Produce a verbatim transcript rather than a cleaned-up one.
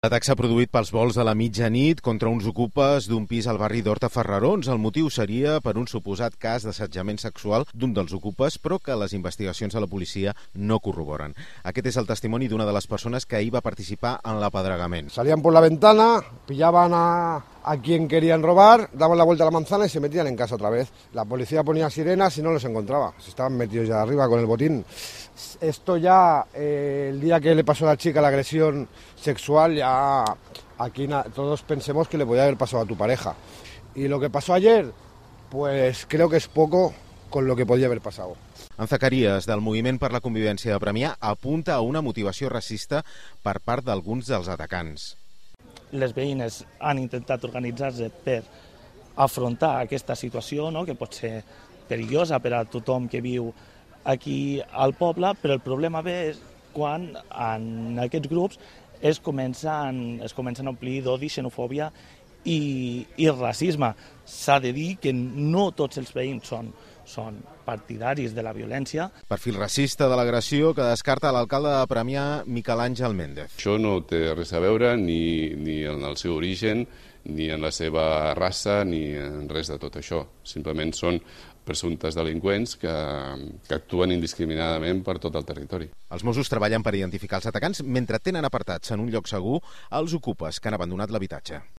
L'atac s'ha produït pels volts de la mitjanit contra uns ocupes d'un pis al barri d'Horta-Ferrarons. El motiu seria per un suposat cas d'assetjament sexual d'un dels ocupes, però que les investigacions de la policia no corroboren. Aquest és el testimoni d'una de les persones que ahir va participar en l'apedregament. Salían por la ventana, pillaban a, a quien querían robar, daban la vuelta a la manzana y se metían en casa otra vez. La policía ponía sirenas y no los encontraba. Se estaban metidos ya arriba con el botín. Esto ya, eh, el día que le pasó a la chica la agresión sexual, ya aquí na, todos pensemos que le podía haber pasado a tu pareja. Y lo que pasó ayer, pues creo que es poco con lo que podía haver passat. En Zacarías, del Moviment per la Convivència de Premià, apunta a una motivació racista per part d'alguns dels atacants. Les veïnes han intentat organitzar-se per afrontar aquesta situació, no?, que pot ser perillosa per a tothom que viu aquí al poble, però el problema ve quan en aquests grups es comencen, es comencen a omplir d'odi, xenofòbia i, i racisme. S'ha de dir que no tots els veïns són, són partidaris de la violència. Perfil racista de l'agressió que descarta l'alcalde de Premià, Miquel Àngel Méndez. Això no té res a veure ni, ni en el seu origen, ni en la seva raça, ni en res de tot això. Simplement són presumptes delinqüents que, que actuen indiscriminadament per tot el territori. Els Mossos treballen per identificar els atacants mentre tenen apartats en un lloc segur els ocupes que han abandonat l'habitatge.